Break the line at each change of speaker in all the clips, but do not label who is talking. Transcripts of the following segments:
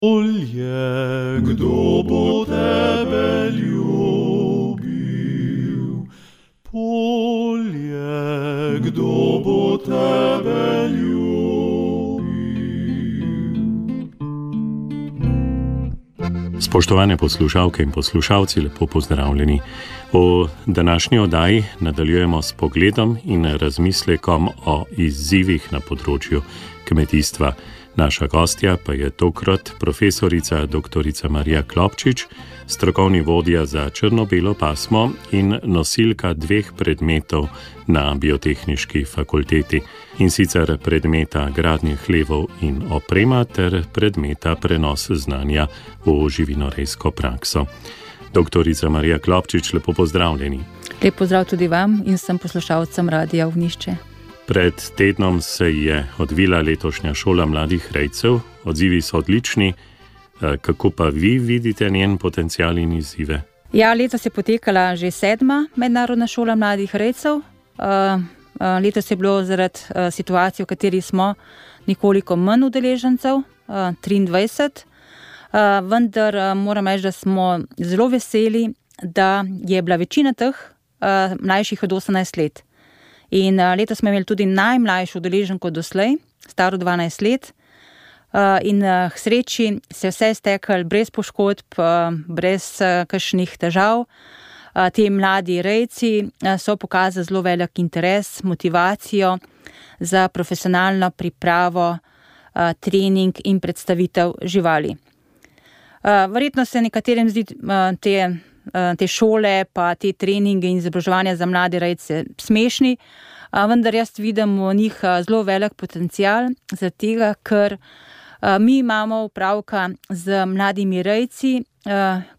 Polje, kdo bo tebe ljubil? Polje, kdo bo tebe ljubil?
Spoštovane poslušalke in poslušalci, lepo pozdravljeni. V današnji oddaji nadaljujemo s pogledom in razmislekom o izzivih na področju kmetijstva. Naša gostja pa je tokrat profesorica dr. Marija Klopčič, strokovni vodja za črno-belo pasmo in nosilka 2 predmetov na Biotehniški fakulteti, in sicer predmeta gradnje hlevov in oprema ter predmeta prenos znanja v živinorejsko prakso. Dr. Marija Klopčič, lepo pozdravljeni.
Lep pozdrav tudi vam in vsem poslušalcem Radia Ognjišče.
Pred tednom se je odvila letošnja šola mladih rejcev. Odzivi so odlični. Kako pa vi vidite njen potencial in izzive?
Ja, letos je potekala že 7. mednarodna šola mladih rejcev. Letos je bilo zaradi situacije, v kateri smo, nekoliko manj udeležencev, 23. Vendar moram reči, da smo zelo veseli, da je bila večina teh mlajših od 18 let. In letos smo imeli tudi najmlajšo udeleženko doslej, staro 12 let. In k sreči se je vse steklo brez poškodb, brez kakšnih težav. Ti mladi rejci so pokazali zelo velik interes, motivacijo za profesionalno pripravo, trening in predstavitev živali. Verjetno se nekaterim zdi te šole pa te treninge in izobraževanja za mlade rejce smešni, vendar jaz vidim v njih zelo velik potencial, zaradi tega, ker mi imamo opravka z mladimi rejci,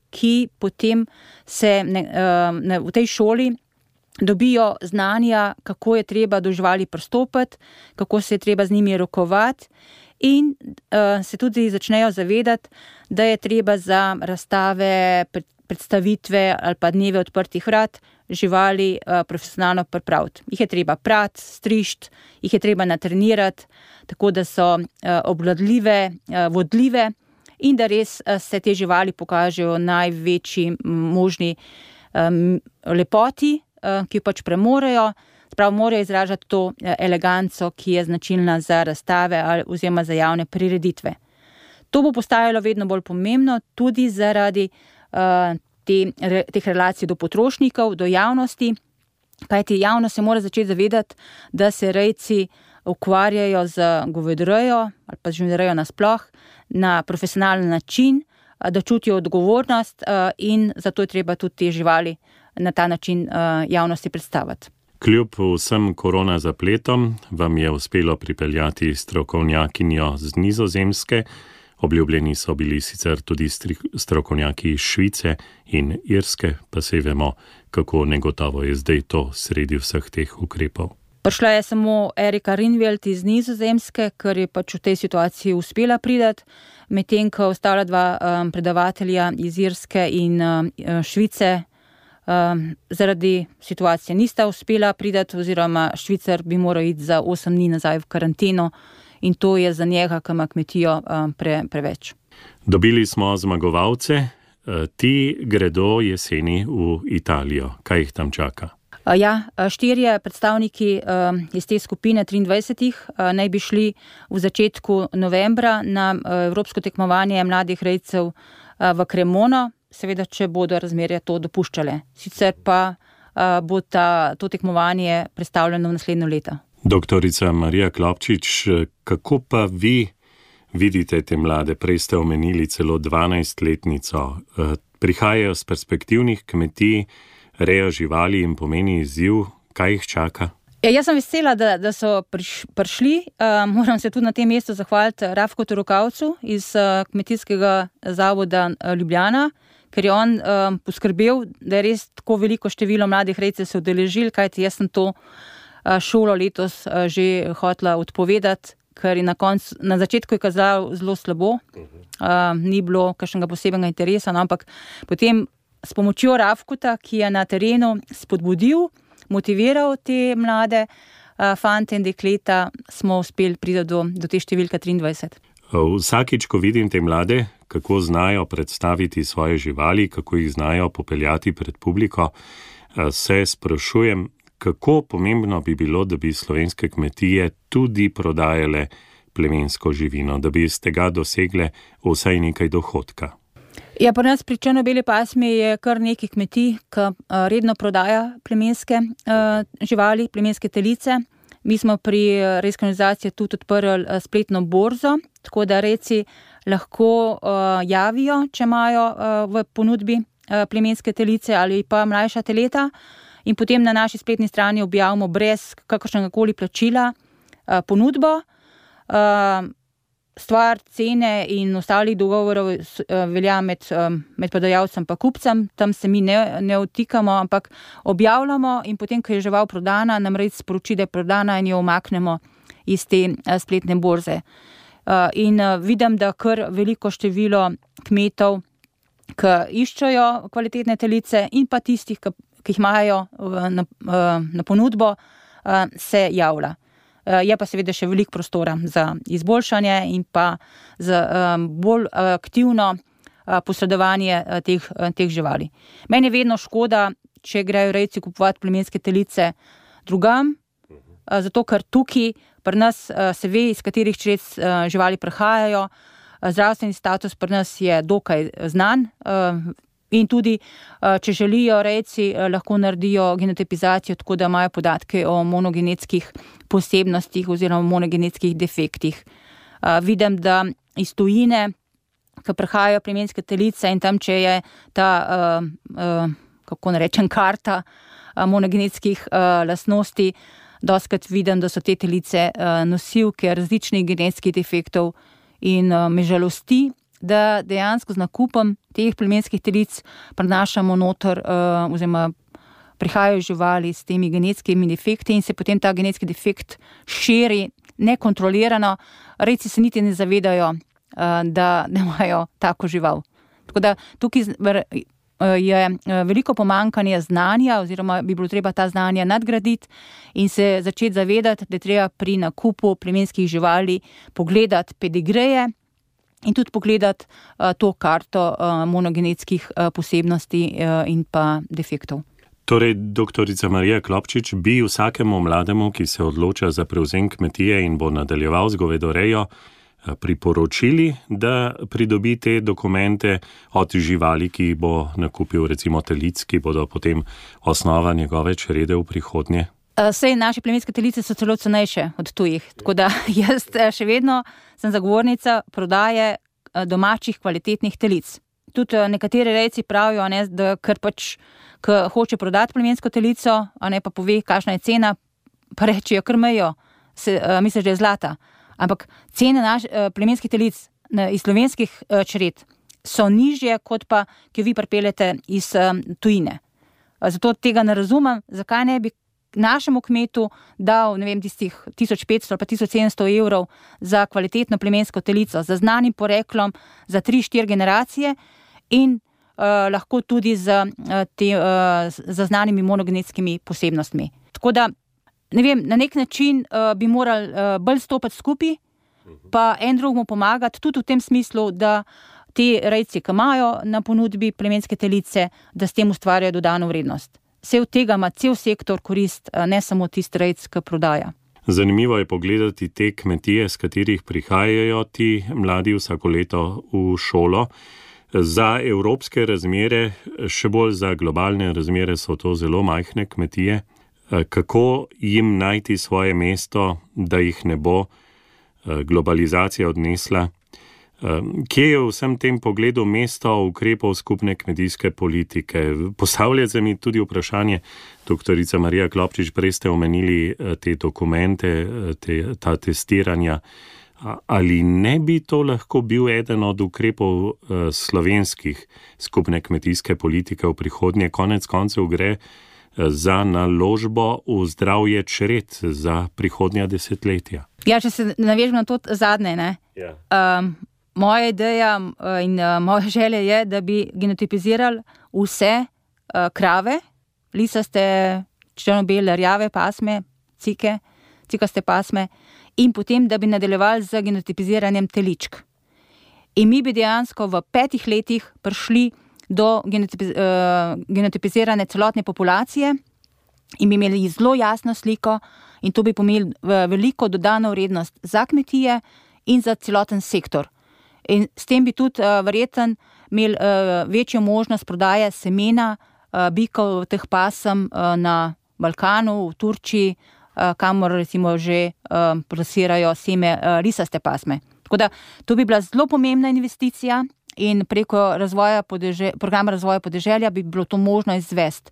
ki potem se v tej šoli dobijo znanja, kako je treba do živali pristopiti, kako se je treba z njimi rokovati, in se tudi začnejo zavedati, da je treba za razstave, predstavitve ali pa dneve odprtih vrat živali profesionalno pripraviti. Jih je treba prati, strišti, jih je treba natrenirati, tako da so obvladljive, vodljive in da res se te živali pokažejo največji možni lepoti, ki jo pač premorejo. Sprav morajo izražati to eleganco, ki je značilna za razstave oziroma za javne prireditve. To bo postajalo vedno bolj pomembno tudi zaradi teh relacij do potrošnikov, do javnosti, kajti javnost se mora začeti zavedati, da se rejci ukvarjajo z govedorejo ali pa z živinorejo nasploh na profesionalen način, da čutijo odgovornost in zato je treba tudi te živali na ta način javnosti predstaviti.
Kljub vsem korona zapletom vam je uspelo pripeljati strokovnjakinjo z Nizozemske. Obljubljeni so bili sicer tudi strokovnjaki iz Švice in Irske, pa se vemo, kako negotovo je zdaj to sredi vseh teh ukrepov.
Prišla je samo Erika Rinveld iz Nizozemske, ker je pač v tej situaciji uspela priti, medtem ko ostala 2 predavatelja iz Irske in Švice zaradi situacije nista uspela priti, oziroma Švicar bi moral iti za 8 dni nazaj v karanteno, in to je za njega, ki ima kmetijo, preveč. Dobili smo zmagovalce,
ti gredo jeseni v Italijo. Kaj jih tam čaka?
Ja, 4 predstavniki iz te skupine 23 naj bi šli v začetku novembra na evropsko tekmovanje mladih rejcev v Cremono, seveda, če bodo razmere to dopuščale. Sicer pa bo to tekmovanje predstavljeno v naslednjo leto.
Doktorica Marija Klopčič, kako pa vi vidite te mlade? Prej ste omenili celo 12-letnico. Prihajajo z perspektivnih kmetij, rejo živali in pomeni izziv. Kaj jih čaka?
Jaz sem vesela, da so prišli. Moram se tudi na tem mestu zahvaliti Rafkotu Rokavcu iz Kmetijskega zavoda Ljubljana, ker je on poskrbel, da je res tako veliko število mladih rejcev se udeležil, kajti jaz sem to šolo letos že hotela odpovedati, ker je na začetku je kazalo zelo slabo, ni bilo kakšnega posebnega interesa, ampak potem s pomočjo Rafkota, ki je na terenu spodbudil, motiviral te mlade, fante in dekleta, smo uspeli priti do te številke 23.
Vsakič, ko vidim te mlade, kako znajo predstaviti svoje živali, kako jih znajo popeljati pred publiko, se sprašujem, kako pomembno bi bilo, da bi slovenske kmetije tudi prodajale plemensko živino, da bi iz tega dosegle vsaj nekaj dohodka.
Ja, pri nas pri črno-beli pasmi je kar nekaj kmetij, ki redno prodaja plemenske živali, plemenske telice. Mi smo pri rejski organizaciji tudi odprli spletno borzo, tako da rejci lahko javijo, če imajo v ponudbi plemenske telice ali pa mlajša teleta, in potem na naši spletni strani objavimo brez kakršnegakoli plačila ponudbo. Stvar cene in ostalih dogovorov velja med prodajalcem pa kupcem, tam se mi ne vtikamo, ampak objavljamo in potem, ko je žival prodana, nam rejec sporoči, da je prodana in jo umaknemo iz te spletne borze. In vidim, da kar veliko število kmetov, ki iščejo kvalitetne telice in pa tistih, ki jih imajo na ponudbo, se javlja. Je pa seveda še veliko prostora za izboljšanje in pa za bolj aktivno posredovanje teh živali. Meni je vedno škoda, če grejo rejci kupovati plemenske telice drugam, zato ker tukaj pri nas se ve, iz katerih čred živali prihajajo. Zdravstveni status pri nas je dokaj znan. In tudi, če želijo rejci, lahko naredijo genotipizacijo, tako da imajo podatke o monogenetskih posebnostih oziroma monogenetskih defektih. Vidim, da iz tujine, ko prihajajo plemenske telice in tam, če je ta, kako narečem, karta monogenetskih lastnosti, dostikrat vidim, da so te telice nosilke različnih genetskih defektov in me žalosti, da dejansko z nakupom teh plemenskih telic prenašamo noter oziroma prihajajo živali s temi genetskimi defekti in se potem ta genetski defekt širi nekontrolirano. Rejci se niti ne zavedajo, da imajo tako žival. Tako da tukaj je veliko pomanjkanje znanja oziroma bi bilo treba ta znanja nadgraditi in se začeti zavedati, da je treba pri nakupu plemenskih živali pogledati pedigreje in tudi pogledati to karto monogenetskih posebnosti in pa defektov.
Torej, doktorica Marija Klopčič, bi vsakemu mlademu, ki se odloča za prevzem kmetije in bo nadaljeval z govedorejo, priporočili, da pridobi te dokumente od živali, ki bo nakupil recimo telic, ki bodo potem osnova njegove črede v prihodnje?
Sej naše plemenske telice so celo cenejše od tujih, tako da jaz še vedno sem zagovornica prodaje domačih kvalitetnih telic. Tudi nekateri rejci pravijo, da ker pač, ko hoče prodati plemensko telico, pa pove, kakšna je cena, pa rečijo, kar mejo, misliš, da je zlata. Ampak cene plemenskih telic iz slovenskih čred so nižje, kot pa, ki jo vi pripeljete iz tujine. Zato tega ne razumem, zakaj ne bi našemu kmetu dal, tistih 1500 ali pa 1700 evrov za kvalitetno plemensko telico, za znanim poreklom, za 3-4 generacije in lahko tudi za znanimi monogenetskimi posebnostmi. Tako da, na nek način bi morali bolj stopiti skupaj, pa en drugemu pomagati, tudi v tem smislu, da ti rejci, ki imajo na ponudbi plemenske telice, da s tem ustvarjajo dodano vrednost. Vse od tega ima cel sektor korist, ne samo tisti rejc, ki prodaja.
Zanimivo je pogledati te kmetije, s katerih prihajajo ti mladi vsako leto v šolo. Za evropske razmere, še bolj za globalne razmere so to zelo majhne kmetije. Kako jim najti svoje mesto, da jih ne bo globalizacija odnesla? Kje je v vsem tem pogledu mesto ukrepov skupne kmetijske politike? Postavljate mi tudi vprašanje, doktorica Marija Klopčič, prej ste omenili te dokumente, ta testiranja. Ali ne bi to lahko bil eden od ukrepov slovenskih skupne kmetijske politike v prihodnje? Konec koncev gre za naložbo v zdravje čred za prihodnja desetletja.
Ja, če se navežem na to zadnje, ne?
Ja.
Moja ideja in moja želja je, da bi genotipizirali vse krave, lisaste, črno-bele, rjave pasme, cike, cikaste pasme, in potem, da bi nadaljevali z genotipiziranjem teličk. In mi bi dejansko v 5 letih prišli do genotipizirane celotne populacije in bi imeli zelo jasno sliko in to bi pomenili veliko dodano vrednost za kmetije in za celoten sektor. In s tem bi tudi verjetno imeli večjo možnost prodaje semena bikov teh pasem na Balkanu, v Turčiji, kamor recimo že plasirajo seme risaste pasme. Tako da to bi bila zelo pomembna investicija in preko programa razvoja podeželja bi bilo to možno izvesti.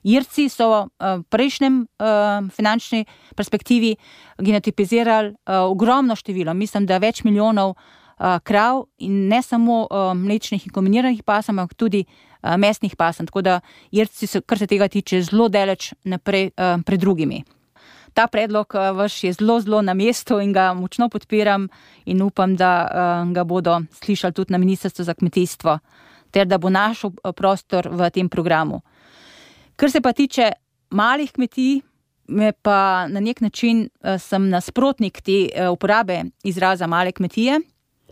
Irci so v prejšnjem finančni perspektivi genotipizirali ogromno število, mislim, da več milijonov krav in ne samo mlečnih in kombiniranih pasem, ampak tudi mesnih pasem. Tako da Irci so, kar se tega tiče, zelo daleč naprej pred drugimi. Ta predlog vaš je zelo, zelo na mestu in ga močno podpiram in upam, da ga bodo slišali tudi na Ministrstvu za kmetijstvo, ter da bo našel prostor v tem programu. Kar se pa tiče malih kmetij, me pa na nek način sem nasprotnik te uporabe izraza male kmetije,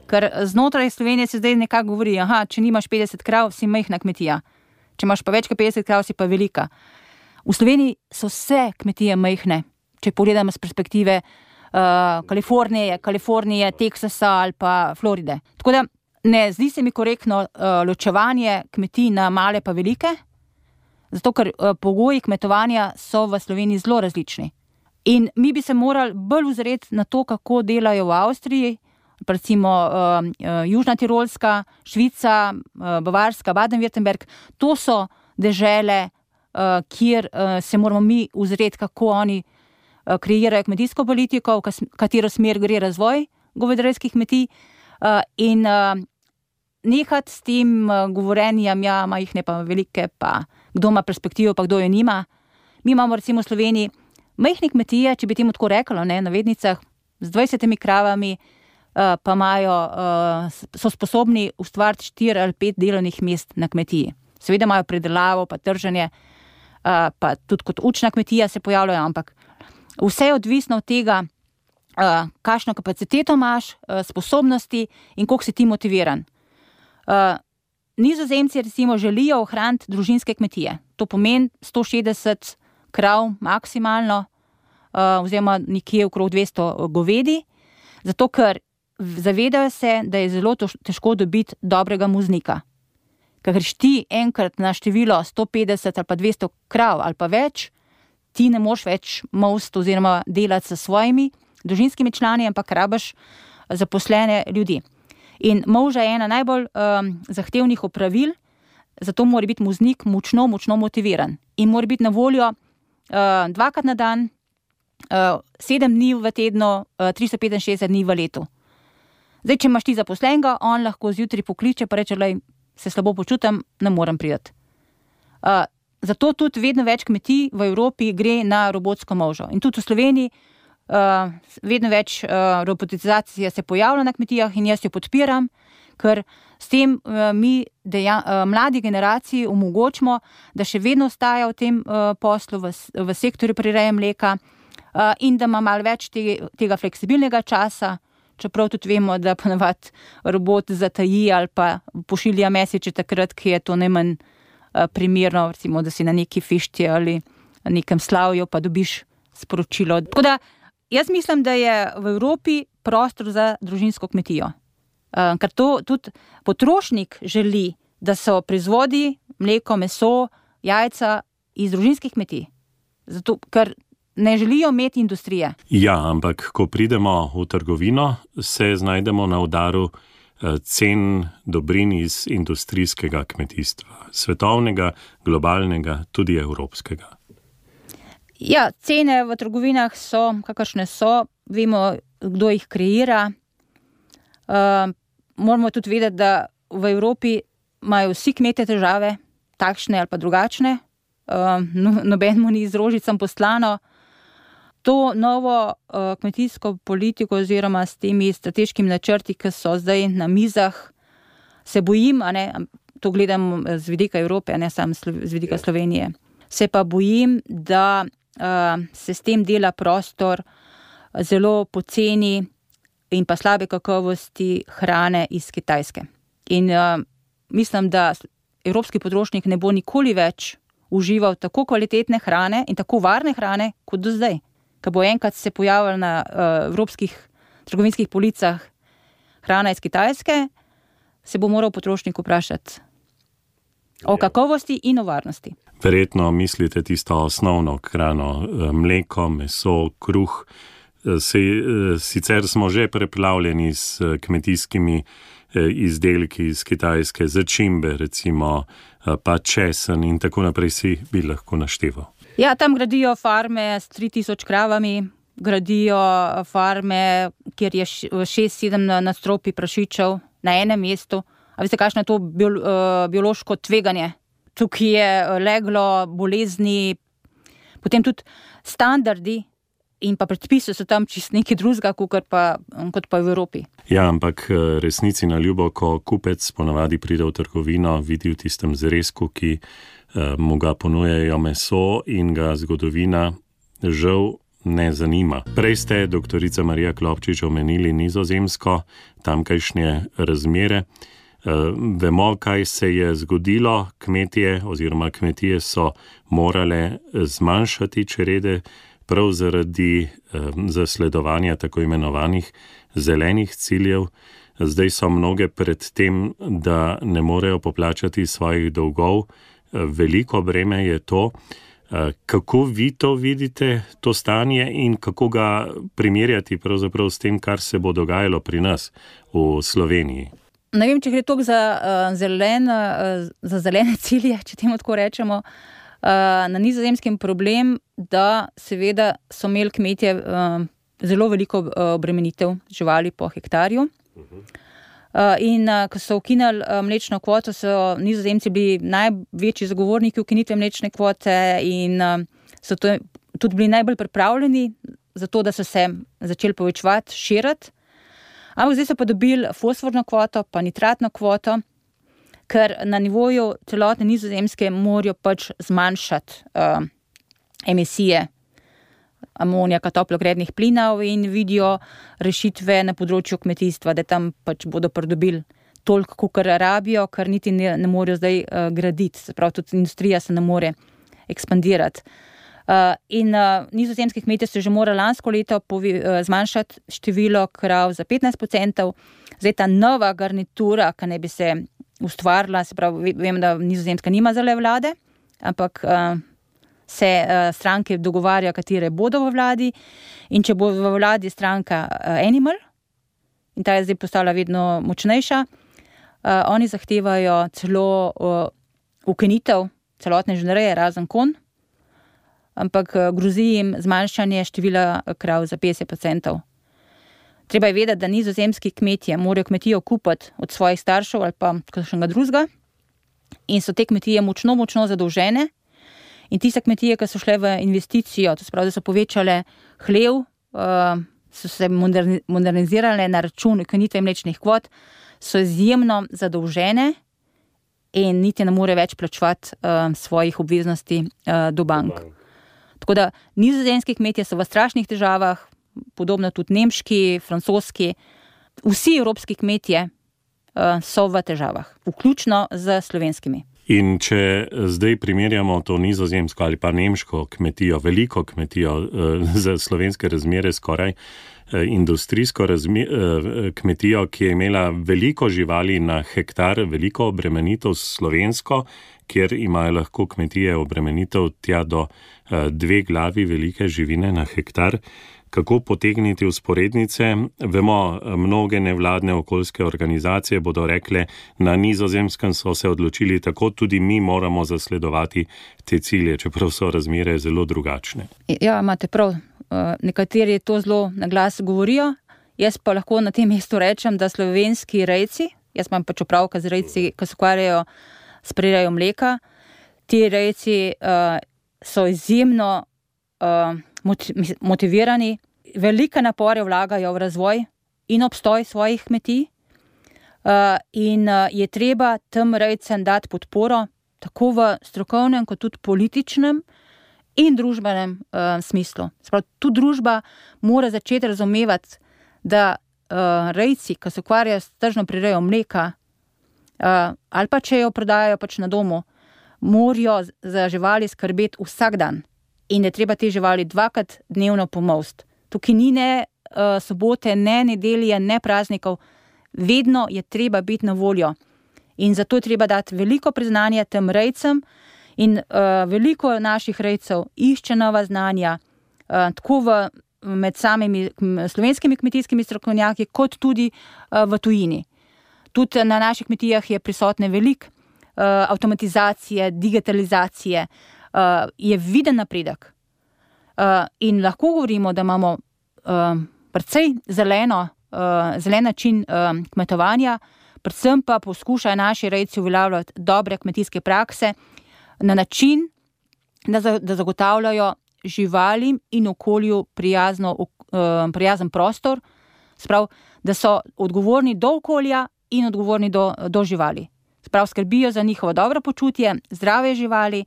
ker znotraj Slovenije se zdaj nekako govori, če nimaš 50 krav, si majhna kmetija. Če imaš pa več kot 50 krav, si pa velika. V Sloveniji so vse kmetije majhne, če pogledamo z perspektive Kalifornije, Teksasa ali pa Floride. Tako da ne zdi se mi korektno ločevanje kmetij na male pa velike, zato ker pogoji kmetovanja so v Sloveniji zelo različni. In mi bi se morali bolj ozreti na to, kako delajo v Avstriji, recimo Južna Tirolska, Švica, Bavarska, Baden-Württemberg. To so dežele, kjer se moramo mi ozreti, kako oni kreirajo kmetijsko politiko, v katero smer gre razvoj govedarskih kmetij in nehati s tem govorenjem, majhne pa velike, pa kdo ima perspektivo, pa kdo jo nima. Mi imamo recimo v Sloveniji majhne kmetije, če bi temu tako reklo, na vednicah, z 20 kravami, pa so sposobni ustvariti 4 ali 5 delovnih mest na kmetiji. Seveda imajo predelavo, pa trženje, pa tudi kot učna kmetija se pojavljajo, ampak vse je odvisno od tega, kakšno kapaciteto imaš, sposobnosti in koliko si ti motiviran. Nizozemci recimo želijo ohraniti družinske kmetije. To pomeni 160 krav maksimalno, oziroma nekje okrog 200 govedi, zato ker zavedajo se, da je zelo težko dobiti dobrega muznika. Ker greš ti enkrat na število 150 ali pa 200 krav ali pa več, ti ne moš več most oziroma delati s svojimi družinskimi člani, ampak rabiš zaposlene ljudi. In molža je ena najbolj zahtevnih opravil, zato mora biti muznik močno motiviran. In mora biti na voljo 2krat na dan, 7 dni v tednu, 365 dni v letu. Zdaj, če imaš ti zaposlenega, on lahko zjutraj pokliče pa reče, se slabo počutim, ne morem priti. Zato tudi vedno več kmetij v Evropi gre na robotsko molžo. In tudi v Sloveniji vedno več robotizacije se pojavlja na kmetijah in jaz jo podpiram, ker s tem mi mladi generaciji omogočimo, da še vedno ostaja v tem poslu, v sektorju prireje mleka in da ima malo več tega fleksibilnega časa, čeprav tudi vemo, da ponavadi robot zataji ali pa pošilja mesiče takrat, ki je to najmanj primerno, recimo, da si na neki fišti ali na nekem slavju, pa dobiš sporočilo. Tako da jaz mislim, da je v Evropi prostor za družinsko kmetijo. Ker to tudi potrošnik želi, da so proizvodi, mleko, meso, jajca iz družinskih kmetij. Zato, ker ne želijo imeti industrije.
Ja, ampak ko pridemo v trgovino, se znajdemo na udaru cen dobrin iz industrijskega kmetijstva. Svetovnega, globalnega, tudi evropskega.
Ja, cene v trgovinah so, kakršne so. Vemo, kdo jih kreira. Moramo tudi vedeti, da v Evropi imajo vsi kmetje težave, takšne ali pa drugačne. Nobenemu ni z rožicam poslano. To novo kmetijsko politiko oziroma s temi strateškimi načrti, ki so zdaj na mizah, se bojim, to gledam z vidika Evrope, ne samo z vidika Slovenije, se pa bojim, da se s tem dela prostor zelo poceni in pa slabe kakovosti hrane iz Kitajske. In mislim, da evropski potrošnik ne bo nikoli več užival tako kvalitetne hrane in tako varne hrane kot do zdaj. Ko bo enkrat se pojavil na evropskih trgovinskih policah hrana iz Kitajske, se bo moral potrošnik vprašati o kakovosti in o varnosti.
Verjetno mislite tisto osnovno hrano, mleko, meso, kruh. Sicer smo že preplavljeni s kmetijskimi izdelki iz Kitajske, začimbe recimo, pa česen in tako naprej si bi lahko našteval.
Ja, tam gradijo farme s 3000 kravami, gradijo farme, kjer je 6-7 nadstropij prašičev na enem mestu. A veste, kakšno je to biološko tveganje? Tukaj je leglo bolezni, potem tudi standardi in pa predpisi so tam čisto nekaj drugega, kot pa v Evropi.
Ja, ampak resnici na ljubo, ko kupec ponavadi pride v trgovino, vidi v tistem zrezku, ki mu ga ponujajo meso in ga zgodovina žal ne zanima. Prej ste, doktorica Marija Klopčič, omenili Nizozemsko, tamkajšnje razmere. Vemo, kaj se je zgodilo, kmetije so morale zmanjšati črede prav zaradi zasledovanja tako imenovanih zelenih ciljev. Zdaj so mnoge pred tem, da ne morejo poplačati svojih dolgov. Veliko breme je to. Kako vi to vidite, to stanje, in kako ga primerjati pravzaprav s tem, kar se bo dogajalo pri nas v Sloveniji?
Ne vem, če gre toliko za zelene cilje, če temu tako rečemo. Na Nizozemskem problem, da seveda so imeli kmetje zelo veliko obremenitev živali po hektarju. In ko so ukinili mlečno kvoto, so Nizozemci bili največji zagovorniki ukinitve mlečne kvote in so tudi bili najbolj pripravljeni za to, da so se začeli povečevati, širiti. Ampak zdaj so pa dobili fosforno kvoto, pa nitratno kvoto, ker na nivoju celotne Nizozemske morajo pač zmanjšati emisije amonijaka, toplogrednih plinov in vidijo rešitve na področju kmetijstva, da tam pač bodo pridobili toliko, kolikor rabijo, ker niti ne morejo zdaj graditi. Se pravi, tudi industrija se ne more ekspandirati. In nizozemski kmetje so že morali lansko leto zmanjšati število krav za 15%. Zdaj ta nova garnitura, ki ne bi se ustvarila, se pravi, vem, da Nizozemska nima zele vlade, ampak se stranke dogovarjajo, katere bodo v vladi, in če bo v vladi stranka Animal, in ta je zdaj postala vedno močnejša, oni zahtevajo celo ukinitev celotne živinoreje, razen konj, ampak grozi jim zmanjšanje števila krav za 50%. Treba je vedeti, da nizozemski kmetje morajo kmetijo kupiti od svojih staršev ali pa kakšnega drugega, in so te kmetije močno zadolžene. In tiste kmetije, ki so šle v investicijo, to se pravi, da so povečale hlev, so se modernizirale na račun ukinitve mlečnih kvot, so izjemno zadolžene in niti ne more več plačevati svojih obveznosti do bank. Tako da nizozemski kmetje so v strašnih težavah, podobno tudi nemški, francoski, vsi evropski kmetje so v težavah, vključno z slovenskimi.
In če zdaj primerjamo to nizozemsko ali pa nemško kmetijo, veliko kmetijo za slovenske razmere, skoraj industrijsko kmetijo, ki je imela veliko živali na hektar, veliko obremenitev slovensko, kjer imajo lahko kmetije obremenitev tja do 2 glavi velike živine na hektar. Kako potegniti usporednice? Vemo, mnoge nevladne okoljske organizacije bodo rekle, na Nizozemskem so se odločili tako, tudi mi moramo zasledovati te cilje, čeprav so razmere zelo drugačne. Ja,
imate prav. Nekateri to zelo na glas govorijo. Jaz pa lahko na tem mestu rečem, da slovenski rejci, jaz imam pač opravka z rejci, ki se ukvarjajo s prirejo mleka, ti rejci so izjemno motivirani, velike napore vlagajo v razvoj in obstoj svojih kmetij in je treba tem rejcem dati podporo tako v strokovnem kot tudi političnem in družbenem smislu. Sprav, tu družba mora začeti razumevati, da rejci, ki se ukvarjajo s tržno prirejo mleka, ali pa če jo prodajajo pač na domu, morajo za živali skrbeti vsak dan in je treba te živali 2krat dnevno pomolsti. Tukaj ni ne sobote, ne nedelje, ne praznikov, vedno je treba biti na voljo. In zato je treba dati veliko priznanja tem rejcem in veliko naših rejcev išče nova znanja, tako med samimi slovenskimi kmetijskimi strokovnjaki, kot tudi v tujini. Tudi na naših kmetijah je prisotne veliko avtomatizacije, digitalizacije, je viden napredek. In lahko govorimo, da imamo precej zelen način kmetovanja, predvsem pa poskušajo naši rejci uveljavljati dobre kmetijske prakse na način, da zagotavljajo živalim in okolju prijazen prostor, sprav, da so odgovorni do okolja in odgovorni do živali. Sprav, skrbijo za njihovo dobro počutje, zdrave živali.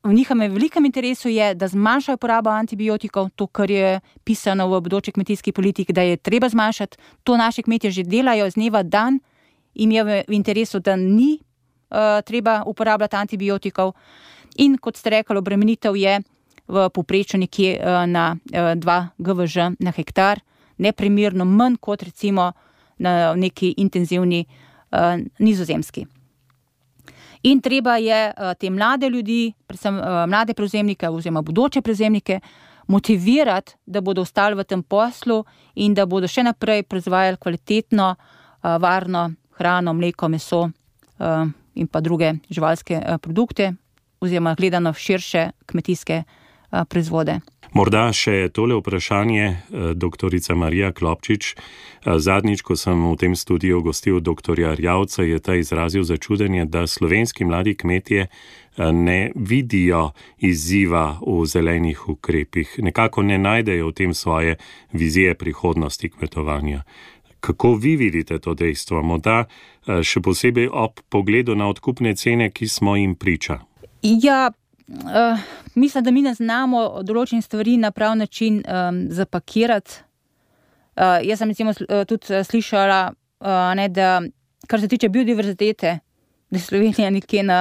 V njihovem velikem interesu je, da zmanjšajo porabo antibiotikov, to, kar je pisano v bodoči kmetijski politiki, da je treba zmanjšati. To naši kmetje že delajo z dneva dan, jim je v interesu, da ni treba uporabljati antibiotikov. In kot ste rekli, obremenitev je v povprečju nekje na 2 GVŽ na hektar, neprimerno manj kot recimo na neki intenzivni Nizozemski. In treba je te mlade ljudi, predvsem mlade prevzemnike oziroma bodoče prevzemnike, motivirati, da bodo ostali v tem poslu in da bodo še naprej proizvajali kvalitetno, varno hrano, mleko, meso in pa druge živalske produkte oziroma gledano širše kmetijske proizvode.
Morda še tole vprašanje, doktorica Marija Klopčič. Zadnjič, ko sem v tem studiu gostil doktorja Erjavca, je ta izrazil začudenje, da slovenski mladi kmetje ne vidijo izziva v zelenih ukrepih. Nekako ne najdejo v tem svoje vizije prihodnosti kmetovanja. Kako vi vidite to dejstvo? Morda še posebej ob pogledu na odkupne cene, ki smo jim priča?
Ja, mislim, da mi ne znamo določenih stvari na prav način zapakirati. Jaz sem recimo tudi slišala, da kar se tiče biodiverzitete, da je Slovenija nekje na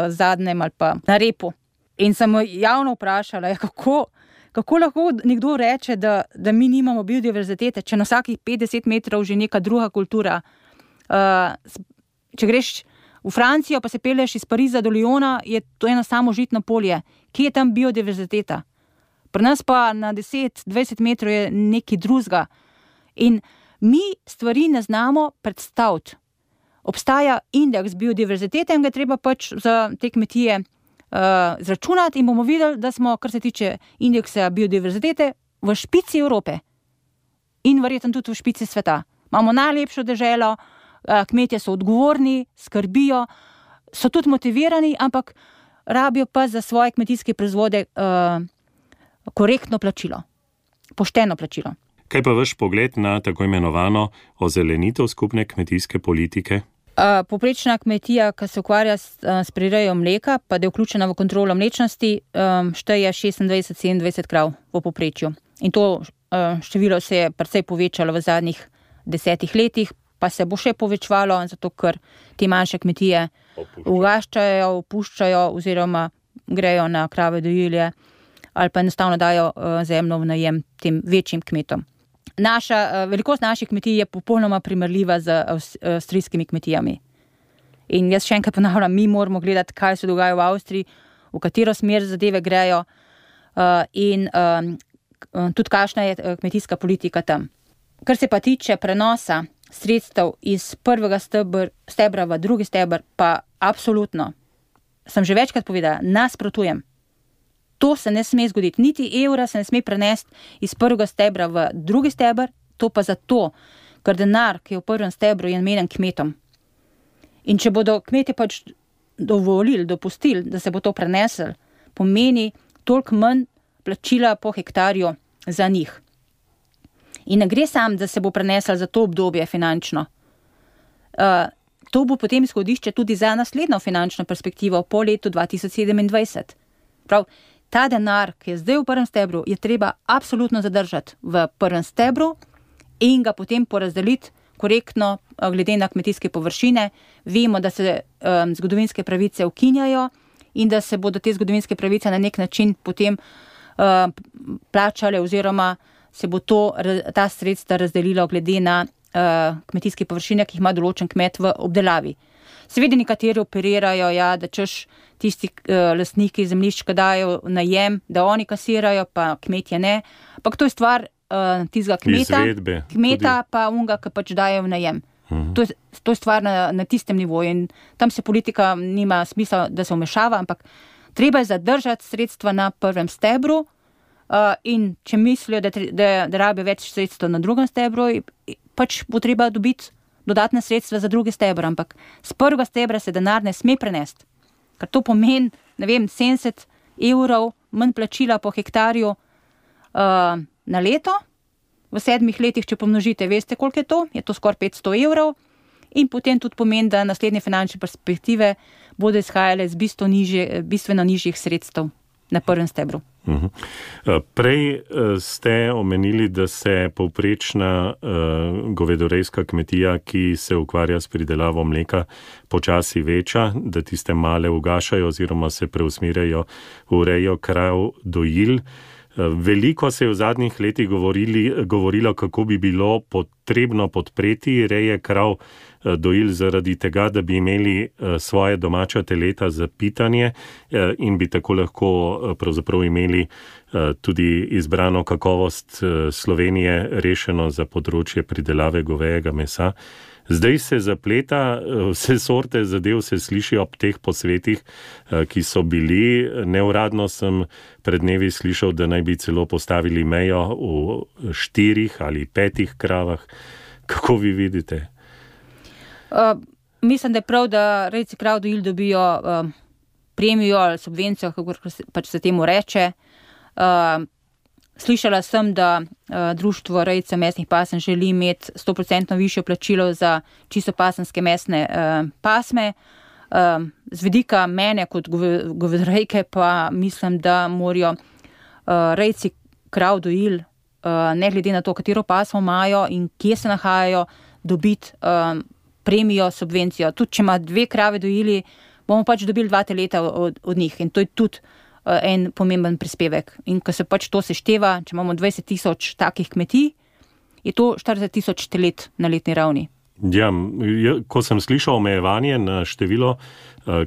zadnjem ali pa na repu. In sem javno vprašala, kako lahko nekdo reče, da mi nimamo biodiverzitete, če na vsakih 50 metrov že neka druga kultura. Če greš v Francijo, pa se peleš iz Pariza do Lyona, je to eno samo žitno polje. Kje je tam biodiverziteta? Pri nas pa na 10-20 metrov je nekaj drugega. In mi stvari ne znamo predstaviti. Obstaja indeks biodiverzitete in ga treba pač za te kmetije zračunati in bomo videli, da smo, kar se tiče indeksa biodiverzitete, v špici Evrope. In verjetno tudi v špici sveta. Imamo najlepšo deželo, kmetje so odgovorni, skrbijo, so tudi motivirani, ampak rabijo pa za svoje kmetijske proizvode korektno plačilo, pošteno plačilo.
Kaj pa vaš pogled na tako imenovano ozelenitev skupne kmetijske politike?
Povprečna kmetija, ki se ukvarja s prirejo mleka, pa da je vključena v kontrolo mlečnosti, šteje 26-27 krav v povprečju. In to število se je precej povečalo v zadnjih 10 letih, pa se bo še povečvalo, zato ker te manjše kmetije ugaščajo, opuščajo oziroma grejo na krave dojilje ali pa enostavno dajo zemljo v najem tem večjim kmetom. Velikost naših kmetij je popolnoma primerljiva z avstrijskimi kmetijami. In jaz še enkrat ponavljam, mi moramo gledati, kaj se dogaja v Avstriji, v katero smer zadeve grejo in tudi kakšna je kmetijska politika tam. Kar se pa tiče prenosa sredstev iz prvega stebra v drugi steber, pa absolutno, sem že večkrat povedala, nasprotujem. To se ne sme zgoditi. Niti evra se ne sme prenesti iz prvega stebra v drugi steber, to pa zato, ker denar, ki je v prvem stebru, je namenjen kmetom. In če bodo kmetje pač dopustili, da se bo to prenesel, pomeni toliko manj plačila po hektarju za njih. In ne gre sam, da se bo prenesel za to obdobje finančno. To bo potem izhodišče tudi za naslednjo finančno perspektivo po letu 2027. pravi, ta denar, ki je zdaj v prvem stebru, je treba absolutno zadržati v prvem stebru in ga potem porazdeliti korektno glede na kmetijske površine. Vemo, da se zgodovinske pravice ukinjajo in da se bodo te zgodovinske pravice na nek način potem plačale oziroma se bo ta sredstva razdelilo glede na kmetijske površine, ki jih ima določen kmet v obdelavi. Seveda nekateri operirajo, da češ tisti lastniki zemljišč, ki dajo najem, da oni kasirajo, pa kmetje ne. Ampak to je stvar tistega kmeta pa unga, ki pač dajo v najem. To je stvar na tistem nivoju in tam se politika nima smisla, da se vmešava, ampak treba je zadržati sredstva na prvem stebru in če mislijo, da rabijo več sredstva na drugem stebru, pač bo treba dobiti dodatne sredstva za drugi stebr, ampak z prvega stebra se denar ne sme prenesti, ker to pomeni, 70 evrov manj plačila po hektarju na leto, v 7 letih, če pomnožite, veste, koliko je to skoraj 500 evrov in potem tudi pomeni, da naslednje finančne perspektive bodo izhajale z bistveno nižjih sredstev na prvem stebru.
Prej ste omenili, da se povprečna govedorejska kmetija, ki se ukvarja s pridelavo mleka, počasi veča, da tiste male ugašajo oziroma se preusmerjajo v rejo krav dojil. Veliko se je v zadnjih letih govorilo, kako bi bilo potrebno podpreti reje krav dojil zaradi tega, da bi imeli svoje domača teleta za pitanje in bi tako lahko pravzaprav imeli tudi izbrano kakovost Slovenije rešeno za področje pridelave govejega mesa. Zdaj se zapleta, vse sorte zadev se sliši ob teh posvetih, ki so bili. Neuradno sem pred dnevi slišal, da naj bi celo postavili mejo v 4 ali 5 kravah. Kako vi vidite?
Mislim, da je prav, da rejci krav dojil dobijo premijo ali subvencijo, kako pač se temu reče. Slišala sem, da društvo rejcev mesnih pasem želi imeti 100% višjo plačilo za čisto pasemske mesne pasme. Z vidika mene kot govedorejke pa mislim, da morajo rejci krav dojil, ne glede na to, katero pasmo imajo in kje se nahajajo, dobiti premijo, subvencijo. Tudi če ima 2 krave dojili, bomo pač dobili 2 teleta od njih in to je tudi en pomemben prispevek. In ko se pač to sešteva, če imamo 20 000 takih kmetij, je to 40 000 telet na letni ravni.
Ja, ko sem slišal omejevanje na število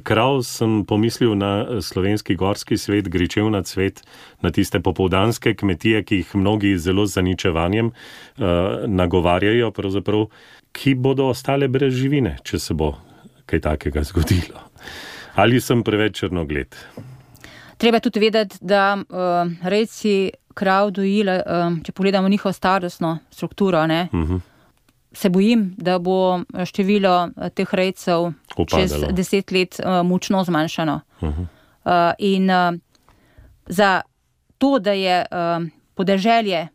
krav, sem pomislil na slovenski gorski svet, gričevna cvet, na tiste popoldanske kmetije, ki jih mnogi zelo z zaničevanjem nagovarjajo, pravzaprav, ki bodo ostale brez živine, če se bo kaj takega zgodilo. Ali sem preveč črnogled?
Treba tudi vedeti, da rejci krav dojil, če pogledamo njihovo starostno strukturo, se bojim, da bo število teh rejcev čez 10 let močno zmanjšano. In za to, da je podeželje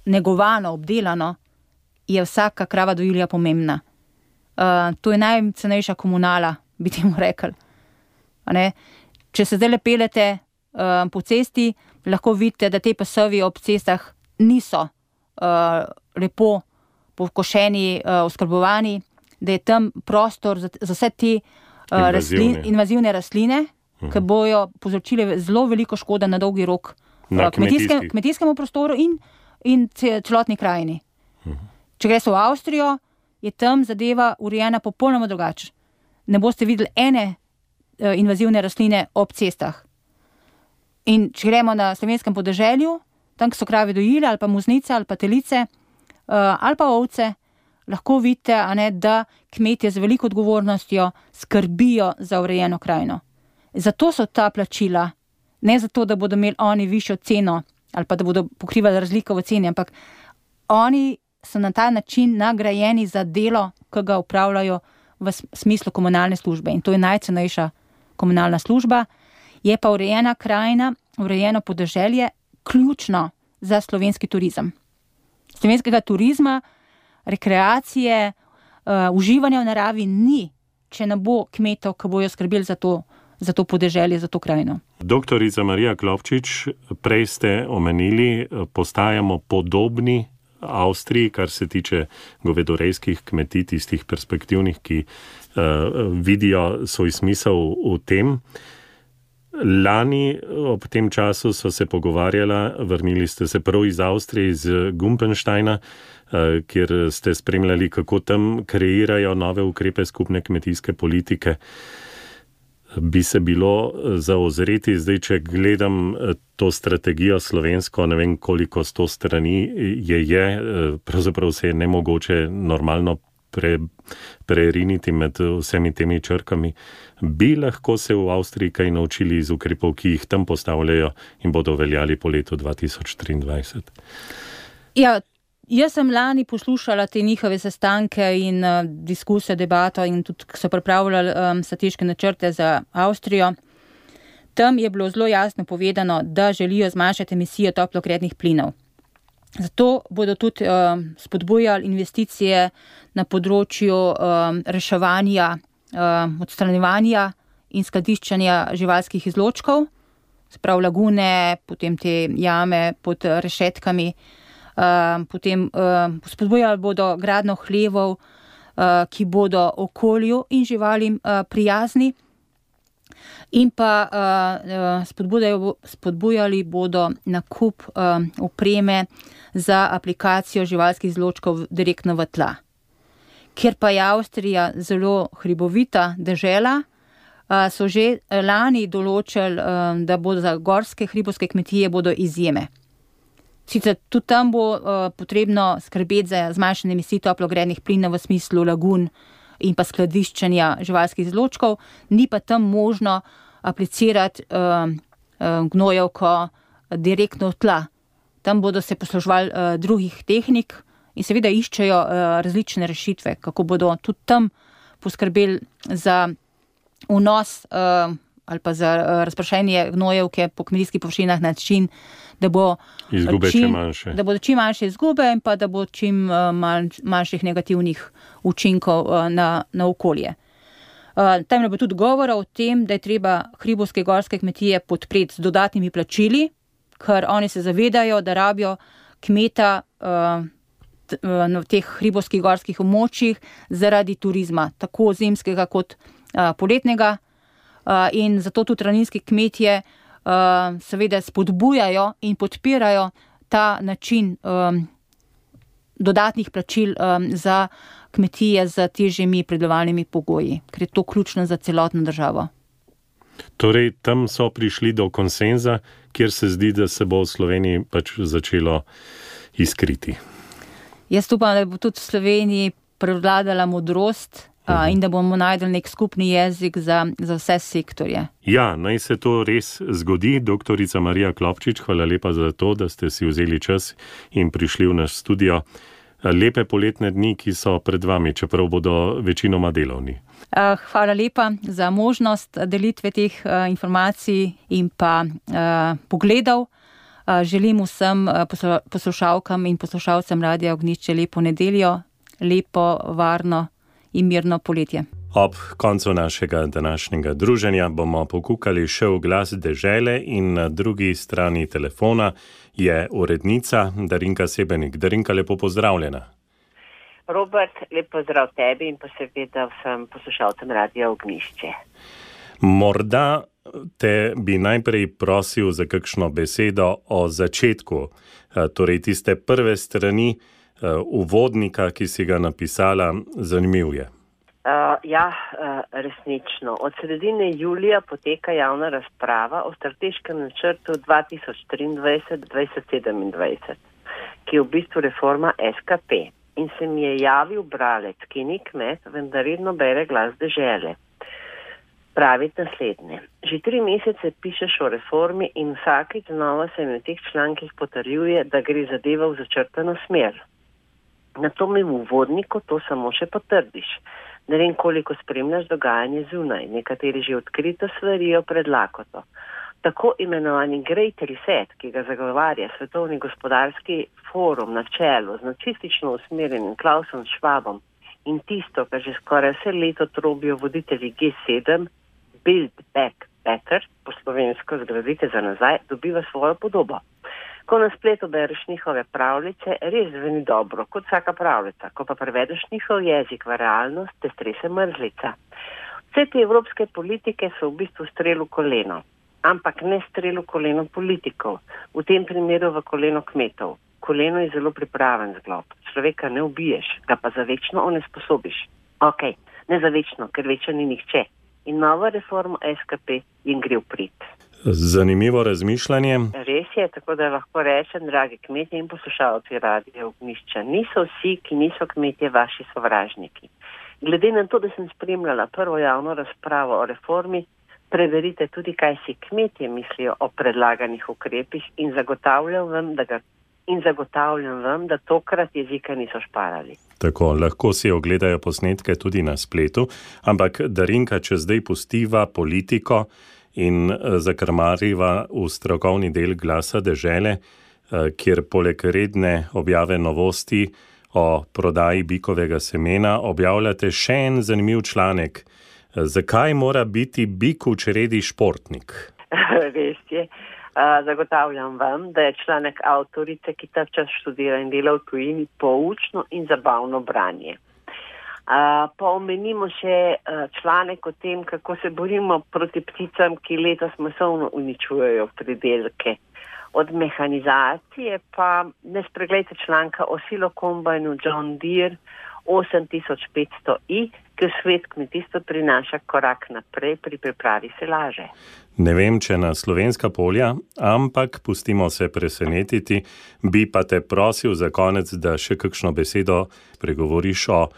negovano, obdelano, je vsaka krava dojilja pomembna. To je najcenejša komunala, bi temu rekli. Če se zdaj lepelete po cesti, lahko vidite, da te pasovi ob cestah niso lepo pokošeni, oskrbovani, da je tam prostor za vse te invazivne rastline, ki bojo povzročile zelo veliko škoda na dolgi rok kmetijskemu prostoru in celotni krajini. Če greš v Avstrijo, je tam zadeva urejena popolnoma drugače. Ne boste videli ene invazivne rastline ob cestah. In če gremo na slovenskem podeželju, tam, ki so krave dojile, ali pa muznice, ali pa telice, ali pa ovce, lahko vidite, da kmetje z veliko odgovornostjo skrbijo za urejeno krajino. Zato so ta plačila, ne zato, da bodo imeli oni višjo ceno, ali pa da bodo pokrivali razliko v ceni, ampak oni so na ta način nagrajeni za delo, ki ga upravljajo v smislu komunalne službe. In to je najcenejša komunalna služba. Je pa urejena krajina, urejeno podeželje ključno za slovenski turizem. Slovenskega turizma, rekreacije, uživanja v naravi ni, če ne bo kmetov, ki bojo skrbeli za to podeželje, za to krajino.
Doktorica Marija Klopčič, prej ste omenili, postajamo podobni Avstriji, kar se tiče govedorejskih kmetij, tistih perspektivnih, ki vidijo svoj smisel v tem. Lani ob tem času so se pogovarjala, vrnili ste se prav iz Avstrije, iz Gumpensteina, kjer ste spremljali, kako tam kreirajo nove ukrepe skupne kmetijske politike. Bi se bilo zaozreti, zdaj, če gledam to strategijo slovensko, ne vem, koliko 100 strani je, pravzaprav se je nemogoče normalno preriniti med vsemi temi črkami. Bi lahko se v Avstriji kaj naučili iz ukrepov, ki jih tam postavljajo in bodo veljali po letu 2023?
Ja, jaz sem lani poslušala te njihove sestanke in diskusijo, debato in tudi so pripravljali strateške načrte za Avstrijo. Tam je bilo zelo jasno povedano, da želijo zmanjšati emisijo toplogrednih plinov. Zato bodo tudi spodbujali investicije na področju reševanja, odstranjevanja in skladiščenja živalskih izločkov, sprav lagune, potem te jame pod rešetkami, potem spodbujali bodo gradnjo hlevov, ki bodo okolju in živalim prijazni, in pa spodbujali bodo nakup opreme za aplikacijo živalskih izločkov direktno v tla. Ker pa je Avstrija zelo hribovita dežela, so že lani določili, da bodo za gorske hribovske kmetije bodo izjeme. Sicer tudi tam bo potrebno skrbeti za zmanjšanje emisij toplogrednih plinov v smislu lagun in pa skladiščenja živalskih izločkov, ni pa tam možno aplicirati gnojevko direktno v tla. Tam bodo se posluževali drugih tehnik in seveda iščejo različne rešitve, kako bodo tudi tam poskrbeli za vnos ali pa za razprašenje gnojevke po kmetijskih površinah na način, da bodo čim manjše izgube in pa da bo čim manjših negativnih učinkov na okolje. Tam je bilo tudi govora o tem, da je treba hribovske gorske kmetije podpreti z dodatnimi plačili, ker oni se zavedajo, da rabijo kmeta na teh hribovskih gorskih območjih zaradi turizma, tako zimskega kot poletnega. In zato tudi ravninski kmetje seveda spodbujajo in podpirajo ta način dodatnih plačil za kmetije z težjimi pridelovalnimi pogoji, ker je to ključno za celotno državo.
Torej, tam so prišli do konsenza, kjer se zdi, da se bo v Sloveniji pač začelo iskriti.
Jaz upam, da bo tudi v Sloveniji prevladala modrost in da bomo najdeli nek skupni jezik za vse sektorje.
Ja, naj se to res zgodi. Doktorica Marija Klopčič, hvala lepa za to, da ste si vzeli čas in prišli v naš studio. Lepe poletne dni, ki so pred vami, čeprav bodo večinoma delovni.
Hvala lepa za možnost delitve teh informacij in pa pogledov. Želim vsem poslušalkam in poslušalcem Radia Ognjišče lepo nedeljo, lepo, varno in mirno poletje.
Ob koncu našega današnjega druženja bomo pokukali še v glas dežele in na drugi strani telefona je urednica Darinka Sebenik. Darinka, lepo pozdravljena.
Robert, lep pozdrav tebi in pa seveda vsem poslušalcem Radia Ognjišče.
Morda te bi najprej prosil za kakšno besedo o začetku, torej tiste prve strani uvodnika, ki si ga napisala, zanimiv je.
Resnično. Od sredine julija poteka javna razprava o strateškem načrtu 2023-2027, ki je v bistvu reforma SKP. In se mi je javil bralec, ki ni kmet, vendar redno bere glas dežele. Pravi naslednje. Že 3 mesece pišeš o reformi in vsakič znova se mi v teh člankih potrjuje, da gre zadeva v začrtano smer. Na to mi v uvodniku to samo še potrdiš. Ne vem, koliko spremljaš dogajanje zunaj, nekateri že odkrito svarijo pred lakoto. Tako imenovani Great Reset, ki ga zagovarja Svetovni gospodarski forum na čelu z nacistično usmerjenim Klausom Schwabom in tisto, kar že skoraj vse leto trobijo voditelji G7, Build Back better, po slovensko zgradite za nazaj, dobiva svojo podobo. Ko na spletu bereš njihove pravljice, res zveni dobro, kot vsaka pravljica. Ko pa prevedeš njihov jezik v realnost, te strese mrzlica. Vse te evropske politike so v bistvu strel v koleno, ampak ne strel v koleno politikov, v tem primeru v koleno kmetov. Koleno je zelo pripraven zglob. Človeka ne ubiješ, ga pa za večno onesposobiš. Ok, ne za večno, ker večno ni nihče. In nova reforma SKP jim gre v prid.
Zanimivo razmišljanje.
Res je, tako da lahko rečem, dragi kmetje in poslušalci Radia Ognjišča, niso vsi, ki niso kmetje, vaši sovražniki. Glede na to, da sem spremljala prvo javno razpravo o reformi, preverite tudi, kaj si kmetje mislijo o predlaganih ukrepih in zagotavljam vam, da tokrat jezika niso šparali.
Tako, lahko si ogledajo posnetke tudi na spletu, ampak Darinka, če zdaj pustiva politiko in zakrmariva v strokovni del Glasa dežele, kjer poleg redne objave novosti o prodaji bikovega semena objavljate še en zanimiv članek. Zakaj mora biti bik v čredi športnik?
Res je. Zagotavljam vam, da je članek avtorice, ki ta čas študira in dela v tujini, poučno in zabavno branje. Pa omenimo še članek o tem, kako se borimo proti pticam, ki letos masovno uničujejo pridelke. Od mehanizacije pa ne spregledajte članka o silokombajnu John Deere 8500i, ki v svet kmetijstva prinaša korak naprej pri pripravi silaže.
Ne vem, če na slovenska polja, ampak pustimo se presenetiti. Bi pa te prosil za konec, da še kakšno besedo pregovoriš o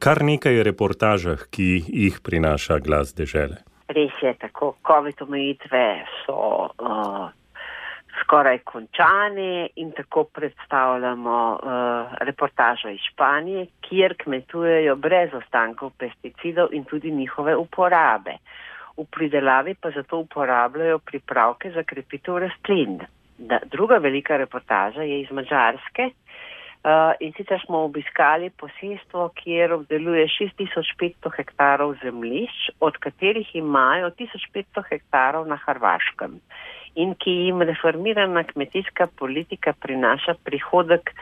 kar nekaj reportažah, ki jih prinaša Glas dežele.
Res je tako. COVID omejitve so skoraj končane in tako predstavljamo reportažo iz Španije, kjer kmetujejo brez ostankov pesticidov in tudi njihove uporabe. V pridelavi pa zato uporabljajo pripravke za krepitev rastlin. Druga velika reportaža je iz Madžarske in sicer smo obiskali posestvo, kjer obdeluje 6500 hektarov zemljišč, od katerih imajo 1500 hektarov na Hrvaškem in ki jim reformirana kmetijska politika prinaša prihodek,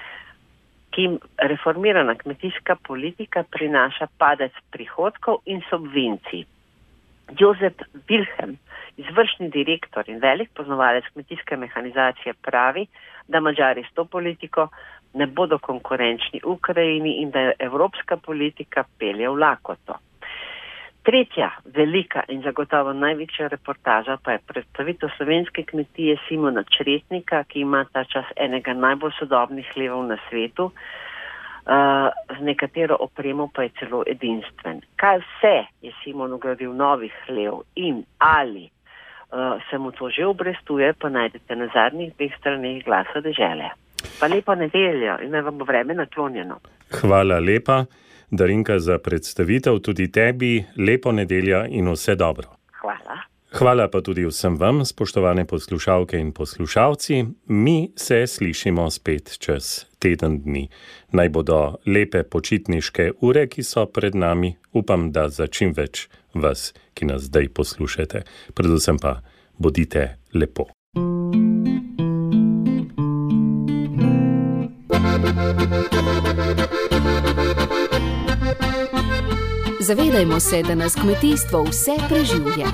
padec prihodkov in subvencij. Jozef Wilhelm, izvršni direktor in velik poznavalec kmetijske mehanizacije, pravi, da Madžari s to politiko ne bodo konkurenčni Ukrajini in da je evropska politika pelje v lakoto. Tretja velika in zagotovo največja reportaža pa je predstavitev slovenske kmetije Simona Čretnika, ki ima ta čas enega najbolj sodobnih hlevov na svetu, z nekatero opremo pa je celo edinstven. Kaj vse je Simon ugradil novih hlev in ali se mu to že obrestuje, pa najdete na zadnjih 2 straneh Glasa dežele. Pa lepo nedeljo in naj vam bo vreme naklonjeno.
Hvala lepa, Darinka, za predstavitev, tudi tebi lepo nedeljo in vse dobro.
Hvala.
Hvala pa tudi vsem vam, spoštovane poslušalke in poslušalci. Mi se slišimo spet čez teden dni. Naj bodo lepe počitniške ure, ki so pred nami. Upam, da za čim več vas, ki nas zdaj poslušate. Predvsem pa bodite lepo.
Zavedajmo se, da nas kmetijstvo vse preživlja.